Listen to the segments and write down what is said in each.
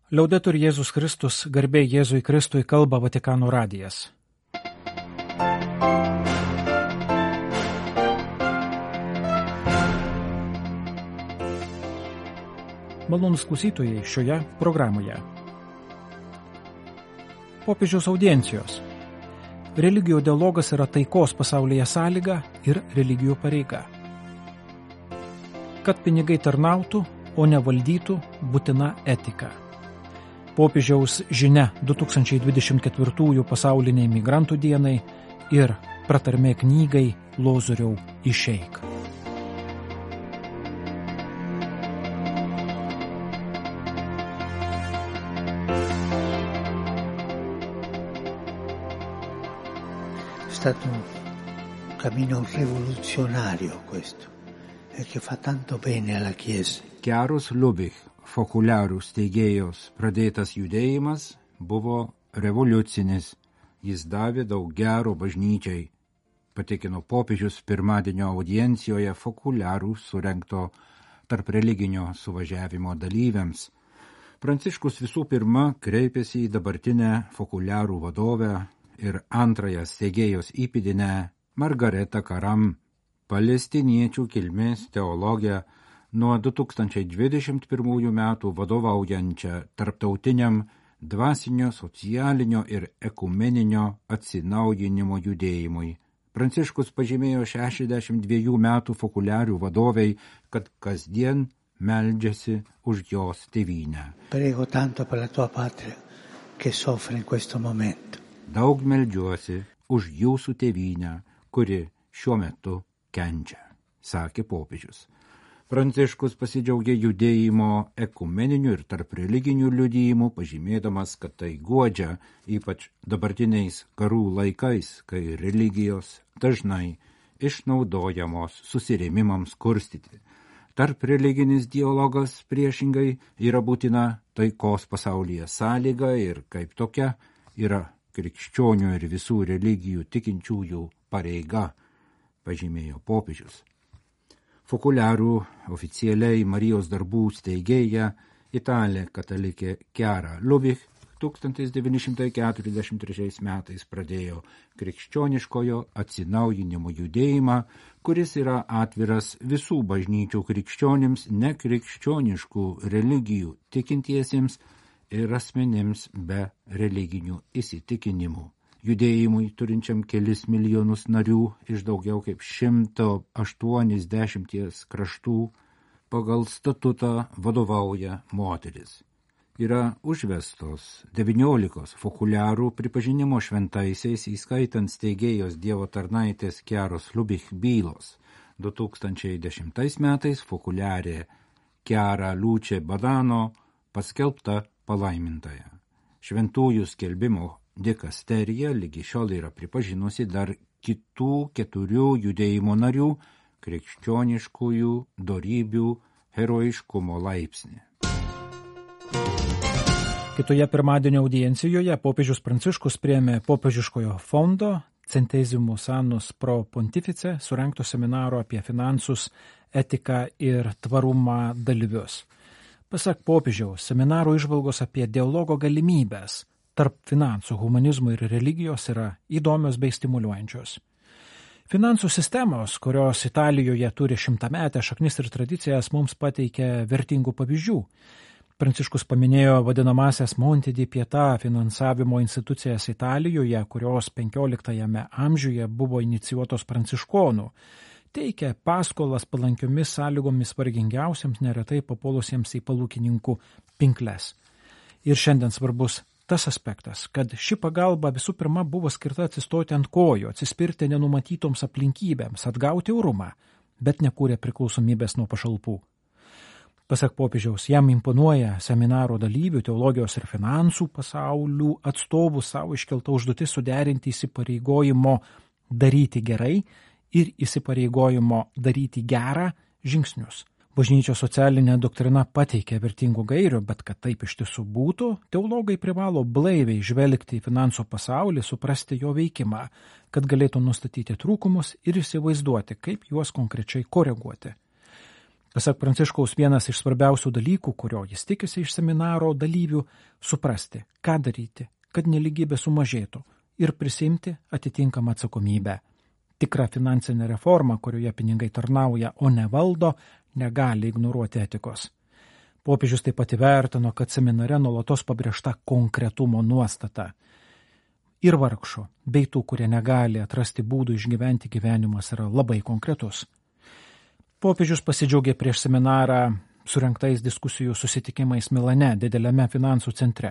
Liaudetur Jėzus Kristus, garbė Jėzui Kristui, kalba Vatikano radijas. Malonūs klausytojai šioje programoje. Popiežiaus audiencijos. Religijų dialogas yra taikos pasaulyje sąlyga ir religijų pareiga. Kad pinigai tarnautų, o ne valdytų, būtina etika. Popiežiaus žinia 2024 pasauliniai migrantų dienai ir pratarmė knygai Lozoriau išeik. È stato un cammino rivoluzionario questo e che fa tanto bene alla Chiesa. Chiarus Lubich, fokuliarų steigėjos pradėtas judėjimas buvo revoliucinis. Jis davė daug gero bažnyčiai, patikino popiežius pirmadienio audiencijoje fokuliarų surengto tarp religinio suvažiavimo dalyviams. Pranciškus visų pirma kreipėsi į dabartinę fokuliarų vadovę ir antrąją steigėjos įpėdinę Margaretą Karam, palestiniečių kilmės teologę, nuo 2021 metų vadovaujančią tarptautiniam dvasinio, socialinio ir ekumeninio atsinaujinimo judėjimui. Pranciškus pažymėjo 62 metų fokuliarių vadovei, kad kasdien meldžiasi už jos tėvynę. Prego tanto per la tua patria che soffre in questo momento. Daug meldžiuosi už jūsų tėvynę, kuri šiuo metu kenčia, sakė popiežius. Pranciškus pasidžiaugė judėjimo ekumeninių ir tarp religinių liudijimų, pažymėdamas, kad tai guodžia, ypač dabartiniais karų laikais, kai religijos dažnai išnaudojamos susirėmimams kurstyti. Tarp religinis dialogas priešingai yra būtina taikos pasaulyje sąlyga ir kaip tokia yra krikščionių ir visų religijų tikinčiųjų pareiga, pažymėjo popiežius. Fokuliarų oficialiai Marijos darbų steigėja italė katalikė Chiara Lubich 1943 metais pradėjo krikščioniškojo atsinaujinimo judėjimą, kuris yra atviras visų bažnyčių krikščionims, nekrikščioniškų religijų tikintiesiems ir asmenims be religinių įsitikinimų. Judėjimui turinčiam kelis milijonus narių iš daugiau kaip 180 kraštų pagal statutą vadovauja moteris. Yra užvestos 19 fokuliarų pripažinimo šventaisiais, įskaitant steigėjos Dievo tarnaitės Chiaros Lubich bylos. 2010 metais fokuliarė Chiara Luce Badano paskelbta palaimintaja. Šventųjų skelbimo dikasterija lygi šiol yra pripažinusi dar kitų 4 judėjimo narių krikščioniškųjų dorybių herojiškumo laipsnį. Kitoje pirmadienio audiencijoje popiežius Pranciškus priėmė popiežiškojo fondo Centesimus Annus Pro Pontifice surengto seminaro apie finansus, etiką ir tvarumą dalyvius. Pasak popiežiaus, seminaro įžvalgos apie dialogo galimybės tarp finansų, humanizmo ir religijos yra įdomios bei stimuliuojančios. Finansų sistemos, kurios Italijoje turi 100-metę šaknis ir tradicijas, mums pateikia vertingų pavyzdžių. Pranciškus paminėjo vadinamasias Monte di Pietà finansavimo institucijas Italijoje, kurios 15 amžiuje buvo inicijuotos pranciškonų. Teikia paskolas palankiomis sąlygomis vargingiausiams, neretai papuolusiems į palūkininkų pinkles. Ir šiandien svarbus tas aspektas, kad ši pagalba visų pirma buvo skirta atsistoti ant kojų, atsispirti nenumatytoms aplinkybėms, atgauti orumą, bet nekūrė priklausomybės nuo pašalpų. Pasak popiežiaus, jam imponuoja seminaro dalyvių, teologijos ir finansų pasaulių atstovų savo iškelta užduotis suderinti įsipareigojimo daryti gerai ir įsipareigojimo daryti gerą žingsnius. Bažnyčios socialinė doktrina pateikia vertingų gairių, bet kad taip iš tiesų būtų, teologai privalo blaiviai žvelgti į finansų pasaulį, suprasti jo veikimą, kad galėtų nustatyti trūkumus ir įsivaizduoti, kaip juos konkrečiai koreguoti. Pasak Pranciškaus, vienas iš svarbiausių dalykų, kurio jis tikisi iš seminaro dalyvių, suprasti, ką daryti, kad nelygybė sumažėtų ir prisimti atitinkamą atsakomybę. Tikra finansinė reforma, kurioje pinigai tarnauja, o ne valdo, negali ignoruoti etikos. Popiežius taip pat įvertino, kad seminare nuolatos pabrėžta konkretumo nuostata. Ir vargšų, bei tų, kurie negali atrasti būdų išgyventi gyvenimas, yra labai konkretus. Popiežius pasidžiaugė prieš seminarą surengtais diskusijų susitikimais Milane, dideliame finansų centre.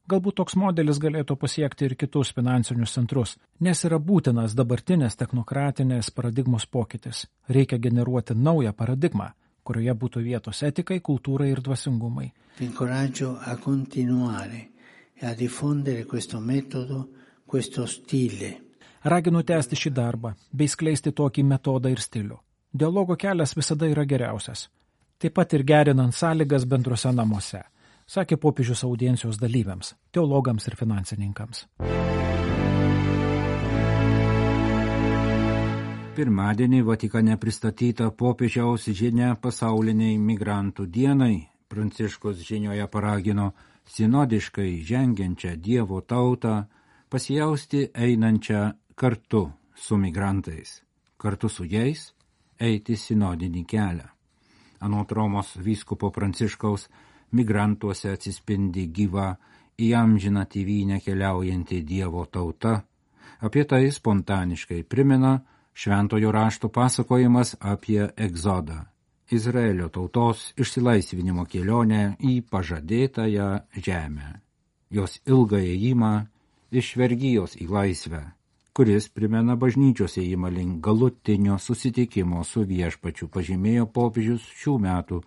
Galbūt toks modelis galėtų pasiekti ir kitus finansinius centrus, nes yra būtinas dabartinės technokratinės paradigmos pokytis. Reikia generuoti naują paradigmą, kurioje būtų vietos etikai, kultūrai ir dvasingumai. Incoraggio a continuare e a diffondere questo metodo, questo stile. Raginu tęsti šį darbą, bei skleisti tokį metodą ir stilių. Dialogo kelias visada yra geriausias. Taip pat ir gerinant sąlygas bendruose namuose, sakė popiežius audiencijos dalyviams, teologams ir finansininkams. Pirmadienį Vatikane pristatyta popiežiaus žinia pasauliniai migrantų dienai. Pranciškus žinioje paragino sinodiškai žengiančią Dievo tautą pasijausti einančią kartu su migrantais, kartu su jais eiti sinodinį kelią. Anot Romos vyskupo Pranciškaus, migrantuose atsispindi gyva į amžiną tėvynę keliaujanti Dievo tauta. Apie tai spontaniškai primena Šventojo rašto pasakojimas apie egzodą, Izraelio tautos išsilaisvinimo kelionę į pažadėtąją žemę, jos ilgą ėjimą iš vergijos į laisvę, kuris primena bažnyčios ėjimą link galutinio susitikimo su viešpačiu, pažymėjo popiežius šių metų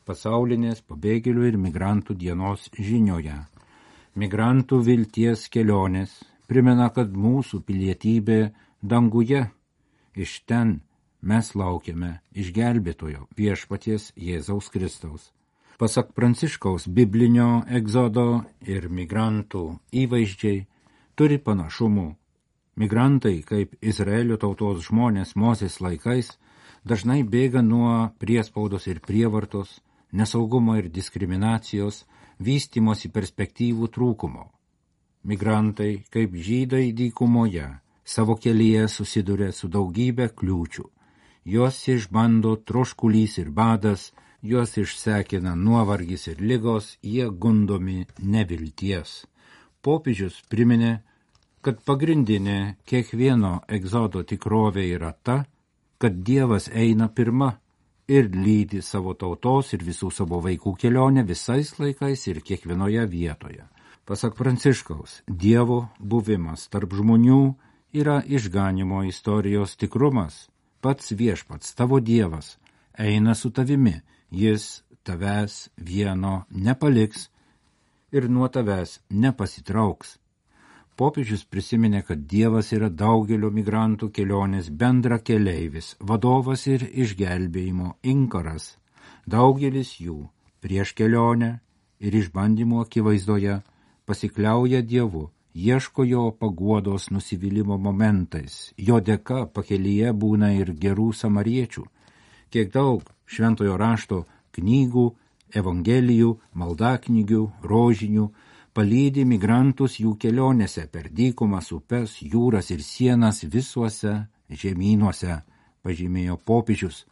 pasaulinės pabėgėlių ir migrantų dienos žinioje. Migrantų vilties kelionės primena, kad mūsų pilietybė danguje, iš ten mes laukiame išgelbėtojo viešpaties Jėzaus Kristaus. Pasak Pranciškaus, biblinio egzodo ir migrantų įvaizdžiai turi panašumų. Migrantai, kaip Izraelio tautos žmonės Mozės laikais, dažnai bėga nuo priespaudos ir prievartos, nesaugumo ir diskriminacijos, vystymosi perspektyvų trūkumo. Migrantai, kaip žydai dykumoje, savo kelyje susiduria su daugybė kliūčių. Juos išbando troškulys ir badas, juos išsekina nuovargis ir ligos, jie gundomi nevilties. Popiežius priminė, kad pagrindinė kiekvieno egzodo tikrovė yra ta, kad Dievas eina pirma ir lydi savo tautos ir visų savo vaikų kelionę visais laikais ir kiekvienoje vietoje. Pasak Pranciškaus, Dievo buvimas tarp žmonių yra išganimo istorijos tikrumas. Pats viešpats, tavo Dievas, eina su tavimi, jis tavęs vieno nepaliks ir nuo tavęs nepasitrauks. Popiežius prisiminė, kad Dievas yra daugelio migrantų kelionės bendra keleivis, vadovas ir išgelbėjimo inkaras. Daugelis jų prieš kelionę ir išbandymų akivaizdoje pasikliauja Dievu, ieško jo paguodos nusivylimo momentais. Jo dėka pakelyje būna ir gerų samariečių. Kiek daug šventojo rašto knygų, evangelijų, maldaknygių, rožinių palydi migrantus jų kelionėse per dykumas, upes, jūras ir sienas visuose žemynuose, pažymėjo popiežius.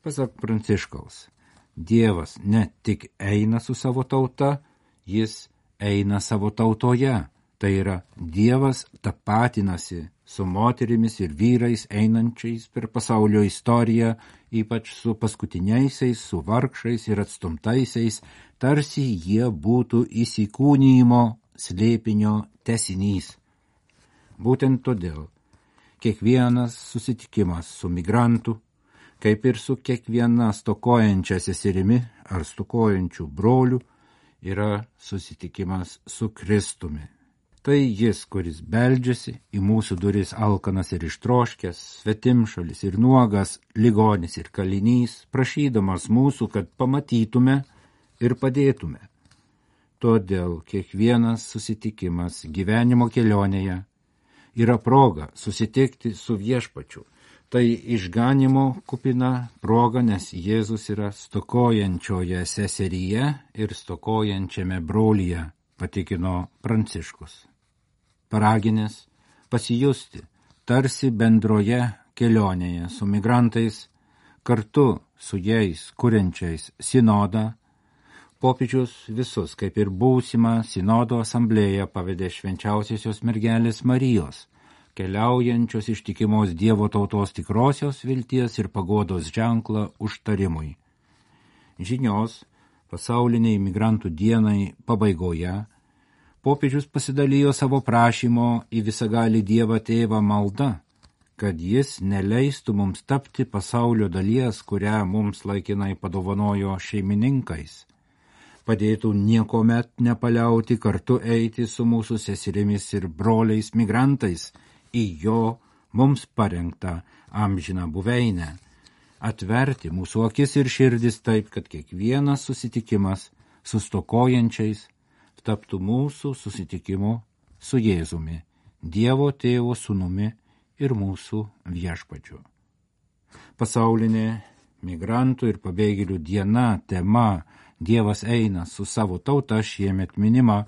Pasak Pranciškaus, Dievas ne tik eina su savo tauta, jis eina savo tautoje. Tai yra, Dievas tapatinasi su moterimis ir vyrais einančiais per pasaulio istoriją, ypač su paskutiniaisiais, su vargšais ir atstumtaisiais, tarsi jie būtų įsikūnijimo slėpinio tęsinys. Būtent todėl kiekvienas susitikimas su migrantu, kaip ir su kiekviena stokojančia seserimi ar stokojančiu broliu, yra susitikimas su Kristumi. Tai jis, kuris beldžiasi į mūsų duris alkanas ir ištroškęs, svetimšalis ir nuogas, ligonis ir kalinys, prašydamas mūsų, kad pamatytume ir padėtume. Todėl kiekvienas susitikimas gyvenimo kelionėje yra proga susitikti su viešpačiu, Tai išganimo kupina proga, nes Jėzus yra stokojančioje seseryje ir stokojančiame brolyje, patikino Pranciškus. Paraginęs pasijusti tarsi bendroje kelionėje su migrantais, kartu su jais kuriančiais sinodą, popiežius visus, kaip ir būsimą sinodo asamblėją, pavedė švenčiausiosios mergelės Marijos, keliaujančios ištikimos Dievo tautos tikrosios vilties ir paguodos ženklą užtarimui. Žinios pasauliniai migrantų dienai pabaigoje popiežius pasidalijo savo prašymo į visagalį Dievą Tėvą malda, kad jis neleistų mums tapti pasaulio dalies, kurią mums laikinai padovanojo šeimininkais, padėtų niekomet nepaliauti kartu eiti su mūsų seserimis ir broliais migrantais į jo mums parengtą amžiną buveinę, atverti mūsų akis ir širdis taip, kad kiekvienas susitikimas su stokojančiais taptų mūsų susitikimu su Jėzumi, Dievo Tėvo Sūnumi ir mūsų viešpačiu. Pasaulinė migrantų ir pabėgėlių diena tema Dievas eina su savo tauta šiemet minima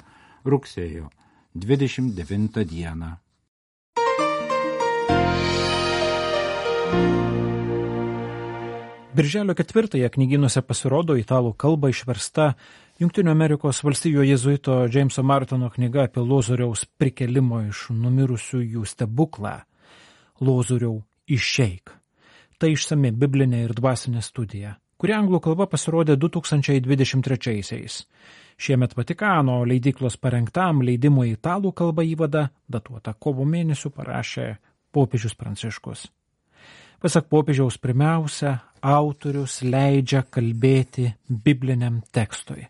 rugsėjo 29 dieną. Birželio 4 knygynuose pasirodo italų kalba išversta Jungtinių Amerikos valstijų jėzuito Jameso Martino knyga apie Lozoriaus prikėlimo iš numirusiųjų stebuklą. Lozoriau, išeik. Tai išsami biblinė ir dvasinė studija, kuri anglų kalba pasirodė 2023-aisiais. Šiemet Vatikano leidyklos parengtam leidimui italų kalba įvadą, datuotą kovo mėnesių, parašė popiežius Pranciškus. Pasak popiežiaus, pirmiausia, autorius leidžia kalbėti bibliniam tekstui.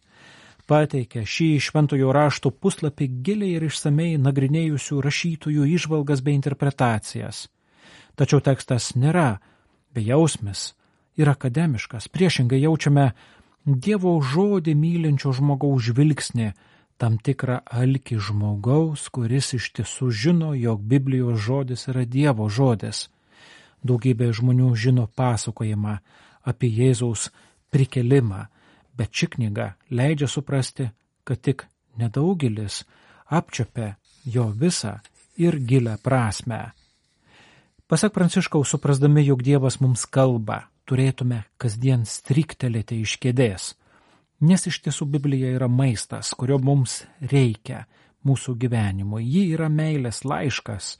Pateikia šį šventojo rašto puslapį giliai ir išsamei nagrinėjusių rašytojų įžvalgas bei interpretacijas. Tačiau tekstas nėra bejausmis ir akademiškas. Priešingai jaučiame Dievo žodį mylinčio žmogaus žvilgsnį, tam tikrą alkį žmogaus, kuris iš tiesų žino, jog Biblijos žodis yra Dievo žodis. Daugybė žmonių žino pasakojimą apie Jėzaus prikėlimą, bet ši knyga leidžia suprasti, kad tik nedaugelis apčiuopia jo visą ir gilią prasmę. Pasak Pranciškaus, suprasdami, jog Dievas mums kalba, turėtume kasdien striktelėti iš kėdės, nes iš tiesų Biblija yra maistas, kurio mums reikia mūsų gyvenimui. Ji yra meilės laiškas,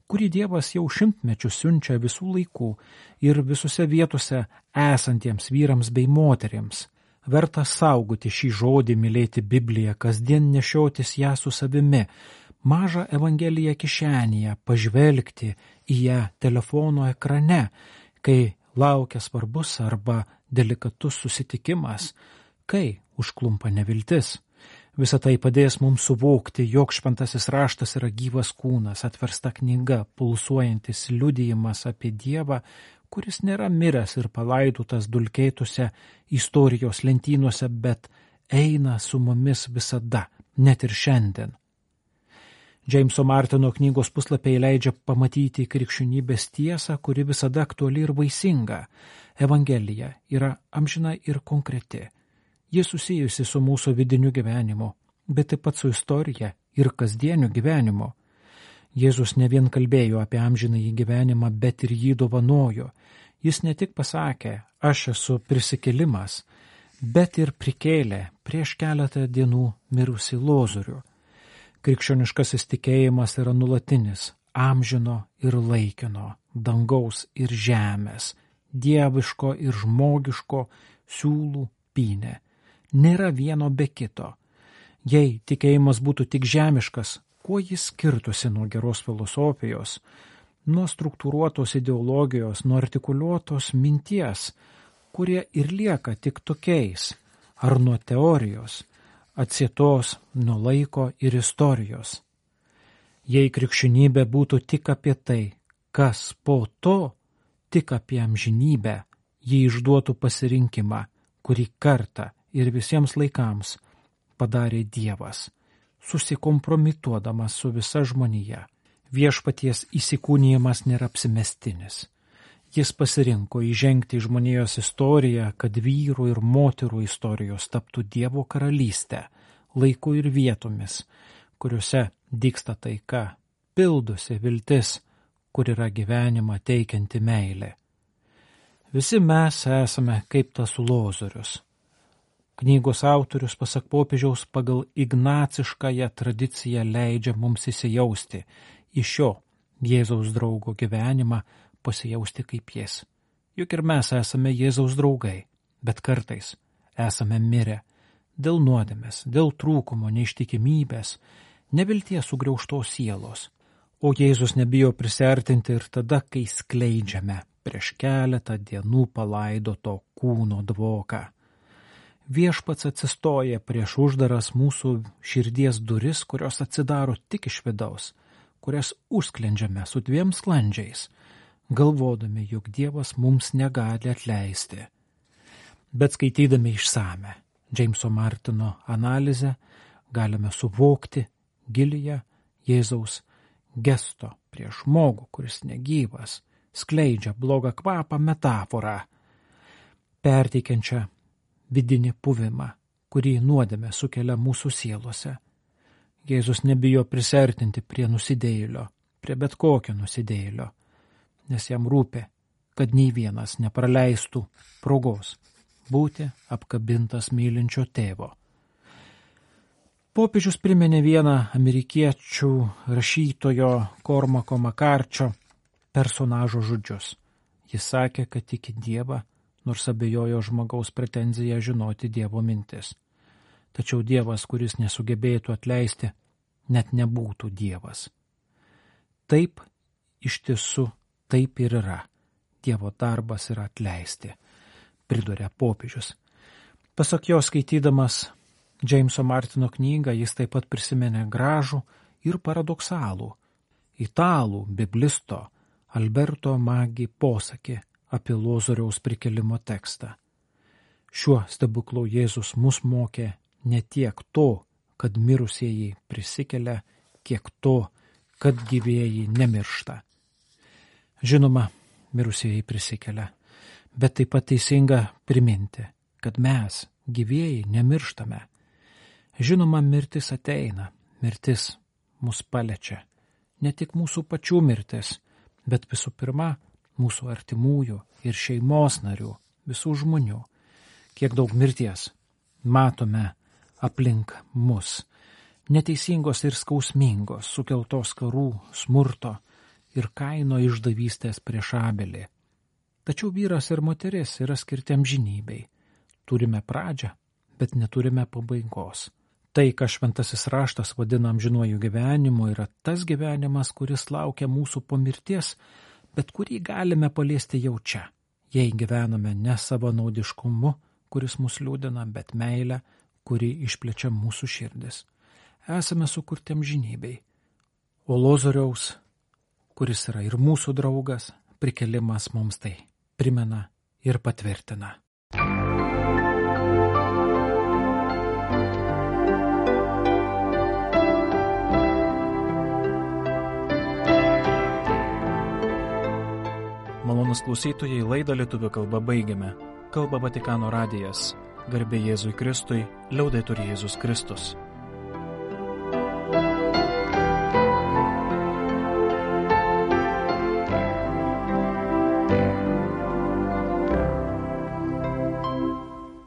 kurį Dievas jau šimtmečius siunčia visų laikų ir visose vietose esantiems vyrams bei moterims. Verta saugoti šį žodį, mylėti Bibliją, kasdien nešiotis ją su savimi, mažą Evangeliją kišenėje, pažvelgti į ją telefono ekrane, kai laukia svarbus arba delikatus susitikimas, kai užklumpa neviltis. Visą tai padės mums suvokti, jog šventasis raštas yra gyvas kūnas, atversta knyga, pulsuojantis liudijimas apie Dievą, kuris nėra miręs ir palaidotas dulkėtose istorijos lentynose, bet eina su mumis visada, net ir šiandien. Jameso Martino knygos puslapiai leidžia pamatyti krikščionybės tiesą, kuri visada aktuali ir vaisinga. Evangelija yra amžina ir konkreti. Ji susijusi su mūsų vidiniu gyvenimu, bet taip pat su istorija ir kasdieniu gyvenimu. Jėzus ne vien kalbėjo apie amžinąjį gyvenimą, bet ir jį dovanojo. Jis ne tik pasakė, aš esu prisikėlimas, bet ir prikėlė prieš keletą dienų mirusį Lozorių. Krikščioniškasis tikėjimas yra nulatinis, amžino ir laikino, dangaus ir žemės, dieviško ir žmogiško siūlų pynė. Nėra vieno be kito. Jei tikėjimas būtų tik žemiškas, kuo jis skirtusi nuo geros filosofijos, nuo struktūruotos ideologijos, nuo artikuliuotos minties, kurie ir lieka tik tokiais, ar nuo teorijos, atsietos nuo laiko ir istorijos. Jei krikščionybė būtų tik apie tai, kas po to, tik apie amžinybę, ji išduotų pasirinkimą, kurį kartą ir visiems laikams padarė Dievas, susikompromituodamas su visa žmonija. Viešpaties įsikūnijimas nėra apsimestinis. Jis pasirinko įžengti į žmonijos istoriją, kad vyrų ir moterų istorijos taptų Dievo karalystę, laiku ir vietomis, kuriuose dygsta taika, pildosi viltis, kur yra gyvenimą teikianti meilė. Visi mes esame kaip tas Lozorius. Knygos autorius, pasak popiežiaus, pagal ignaciškąją tradiciją leidžia mums įsijausti į šio Jėzaus draugo gyvenimą, pasijausti kaip jis. Juk ir mes esame Jėzaus draugai, bet kartais esame mirę dėl nuodėmės, dėl trūkumo, neištikimybės, nevilties sugriaužtos sielos. O Jėzus nebijo prisiartinti ir tada, kai skleidžiame prieš keletą dienų palaidoto kūno dvoką. Viešpats atsistoja prieš uždaras mūsų širdies duris, kurios atsidaro tik iš vidaus, kurias užsklendžiame su 2 sklandžiais, galvodami, jog Dievas mums negali atleisti. Bet skaitydami išsame Džeimso Martino analizę galime suvokti giliąją Jėzaus gesto prieš žmogų, kuris negyvas, skleidžia blogą kvapą metaforą, perteikiančią vidinį puvimą, kurį nuodėmė sukelia mūsų sielose. Jėzus nebijo prisiartinti prie nusidėjėlio, prie bet kokio nusidėjėlio, nes jam rūpi, kad nei vienas nepraleistų progos būti apkabintas mylinčio tėvo. Popiežius priminė vieną amerikiečių rašytojo Kormako Makarčio personažo žodžius. Jis sakė, kad tiki Dievą, nors abejojo žmogaus pretenziją žinoti Dievo mintis. Tačiau Dievas, kuris nesugebėtų atleisti, net nebūtų Dievas. Taip, iš tiesų, taip ir yra. Dievo darbas yra atleisti, priduria popiežius. Pasak jo, skaitydamas Džeimso Martino knygą, jis taip pat prisiminė gražų ir paradoksalų italų biblisto Alberto Magi posakį apie Lozoriaus prikėlimo tekstą. Šiuo stebuklu Jėzus mus mokė ne tiek to, kad mirusieji prisikelia, kiek to, kad gyvieji nemiršta. Žinoma, mirusieji prisikelia, bet taip pat teisinga priminti, kad mes, gyvieji, nemirštame. Žinoma, mirtis ateina, mirtis mus paliečia. Ne tik mūsų pačių mirtis, bet visų pirma, mūsų artimųjų ir šeimos narių, visų žmonių. Kiek daug mirties matome aplink mus, neteisingos ir skausmingos, sukeltos karų, smurto ir Kaino išdavystės prieš Abelį. Tačiau vyras ir moteris yra skirti amžinybei. Turime pradžią, bet neturime pabaigos. Tai, ką šventasis raštas vadina amžinuoju gyvenimu, yra tas gyvenimas, kuris laukia mūsų po mirties, bet kurį galime paliesti jau čia, jei gyvename ne savanaudiškumu, kuris mus liūdina, bet meilę, kuri išplečia mūsų širdis. Esame sukurti amžinybei. O Lozoriaus, kuris yra ir mūsų draugas, prikėlimas mums tai primena ir patvirtina. Malonūs klausytojai, laidą lietuvių kalba baigiame. Kalba Vatikano radijas. Garbė Jėzui Kristui, liaudetur Jėzus Kristus.